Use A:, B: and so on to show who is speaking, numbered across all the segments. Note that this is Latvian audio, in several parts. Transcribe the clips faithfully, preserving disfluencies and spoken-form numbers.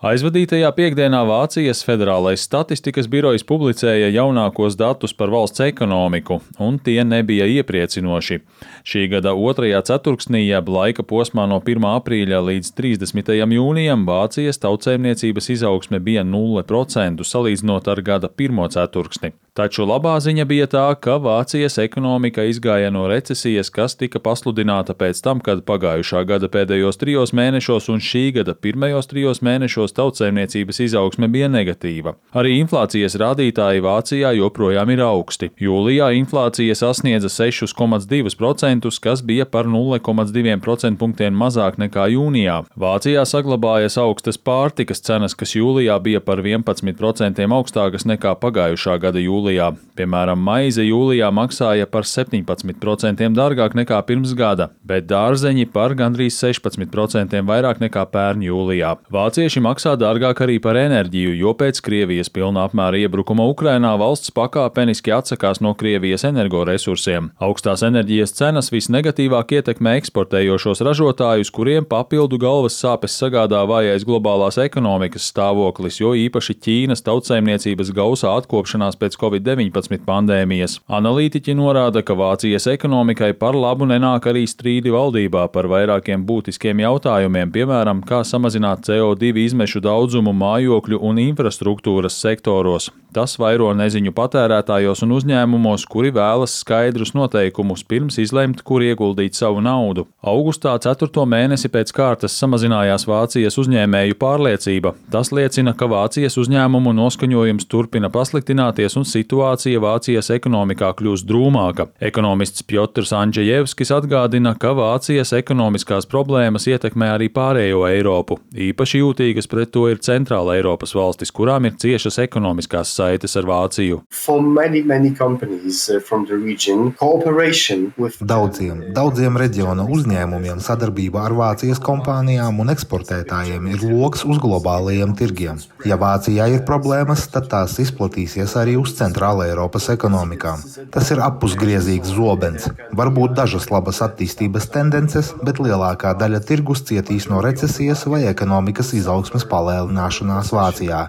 A: Aizvadītajā piekdienā Vācijas Federālais statistikas birojs publicēja jaunākos datus par valsts ekonomiku, un tie nebija iepriecinoši. Šī gada otrajā ceturksnī, jeb laika posmā no pirmā aprīļa līdz trīsdesmitajam jūnijam, Vācijas tautsaimniecības izaugsme bija nulle procentu salīdzinot ar gada pirmo ceturksni. Taču labā ziņa bija tā, ka Vācijas ekonomika izgāja no recesijas, kas tika pasludināta pēc tam, kad pagājušā gada pēdējos trijos mēnešos un šī gada pirmajos trijos mēnešos tautsaimniecības izaugsme bija negatīva. Arī inflācijas rādītāji Vācijā joprojām ir augsti. Jūlijā inflācija sasniedza seši komats divi procenti, kas bija par nulle komats divi procentpunktiem mazāk nekā jūnijā. Vācijā saglabājas augstas pārtikas cenas, kas jūlijā bija par vienpadsmit procentiem augstākas nekā pagājušā gada jūlijā. Piemēram, maize jūlijā maksāja par septiņpadsmit procentiem dārgāk nekā pirms gada, bet dārzeņi par gandrīz sešpadsmit procentiem vairāk nekā pērn jūlijā. Vācieši maksā dārgāk arī par enerģiju, jo pēc Krievijas pilna apmēra iebrukuma Ukrainā valsts pakāpeniski atsakās no Krievijas energoresursiem. Augstās enerģijas cenas visnegatīvāk ietekmē eksportējošos ražotājus, kuriem papildu galvas sāpes sagādā vājais globālās ekonomikas stāvoklis, jo īpaši Ķīnas tautsaimniecības gausā atkopšanās pēc covid deviņpadsmit pandēmijas. Analītiķi norāda, ka Vācijas ekonomikai par labu nenāk arī strīdi valdībā par vairākiem būtiskiem jautājumiem, piemēram, kā samazināt C O divi izmešu daudzumu mājokļu un infrastruktūras sektoros. Tas vairo neziņu patērētājos un uzņēmumos, kuri vēlas skaidrus noteikumus pirms izlemt, kur ieguldīt savu naudu. Augustā ceturto mēnesi pēc kārtas samazinājās Vācijas uzņēmēju pārliecība. Tas liecina, ka Vācijas uzņēmumu noskaņojums turpina pasliktināties un situācija Vācijas ekonomikā kļūst drūmāka. Ekonomists Pjotrs Andžejevskis atgādina, ka Vācijas ekonomiskās problēmas ietekmē arī pārējo Eiropu. Īpaši jūtīgas pret to ir Centrāla Eiropas valstis, kurām ir ciešas ekonomiskās saites ar Vāciju.
B: Many, many region, with...
C: Daudziem, daudziem reģiona uzņēmumiem sadarbība ar Vācijas kompānijām un eksportētājiem ir loks uz globālajiem tirgiem. Ja Vācijā ir problēmas, tad tās izplatīsies arī uz Centrāla Eiropas ekonomikām. Tas ir appusgriezīgs zobens. Varbūt dažas labas attīstības tendences, bet lielākā daļa tirgus cietīs no recesijas vai ekonomikas izaugsmes palēnināšanās Vācijā.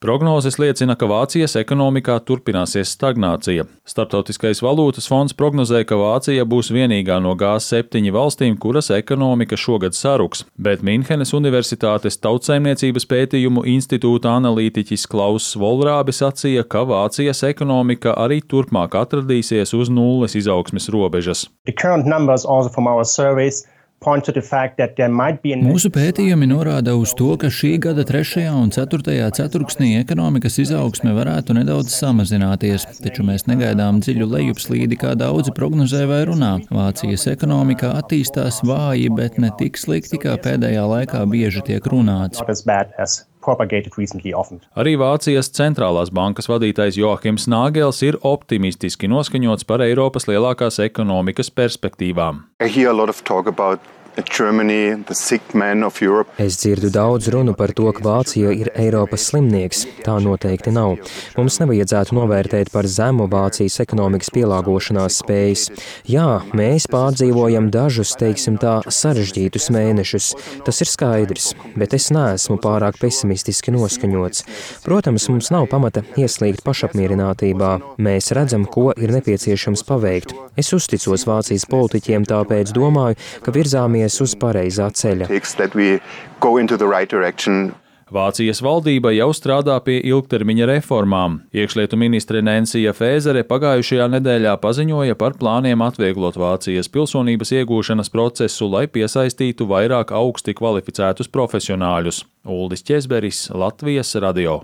A: Prognozes liecina, ka Vācijas ekonomikā turpināsies stagnācija. Starptautiskais valūtas fonds prognozē, ka Vācija būs vienīgā no G septiņi valstīm, kuras ekonomika šogad saruks, bet Minhenes Universitātes tautsaimniecības pētījumu institūta analītiķis Klauss Volrābi sacīja, ka Vācijas ekonomika arī turpmāk atradīsies uz nulles izaugsmes robežas.
D: Mūsu pētījumi norāda uz to, ka šī gada trešajā un ceturtajā ceturksnī ekonomikas izaugsme varētu nedaudz samazināties, taču mēs negaidām dziļu lejupslīdi, kā daudzi prognozē vai runā. Vācijas ekonomika attīstās vāji, bet ne tik slikti, kā pēdējā laikā bieži tiek runāts.
A: Arī Vācijas centrālās bankas vadītājs Joachims Nāgels ir optimistiski noskaņots par Eiropas lielākās ekonomikas perspektīvām.
E: Germany, es dzirdu daudz runu par to, ka Vācija ir Eiropas slimnieks. Tā noteikti nav. Mums nevajadzētu novērtēt par zemu Vācijas ekonomikas pielāgošanās spējas. Jā, mēs pārdzīvojam dažus, teiksim tā, sarežģītus mēnešus. Tas ir skaidrs, bet es neesmu pārāk pesimistiski noskaņots. Protams, mums nav pamata ieslīgt pašapmierinātībā. Mēs redzam, ko ir nepieciešams paveikt. Es uzticos Vācijas politiķiem, tāpēc domāju, ka virzāmies uz pareizā ceļa.
A: Vācijas valdība jau strādā pie ilgtermiņa reformām. Iekšlietu ministre Nensija Fēzere pagājušajā nedēļā paziņoja par plāniem atvieglot Vācijas pilsonības iegūšanas procesu, lai piesaistītu vairāk augsti kvalificētus profesionāļus. Uldis Ķezberis, Latvijas radio.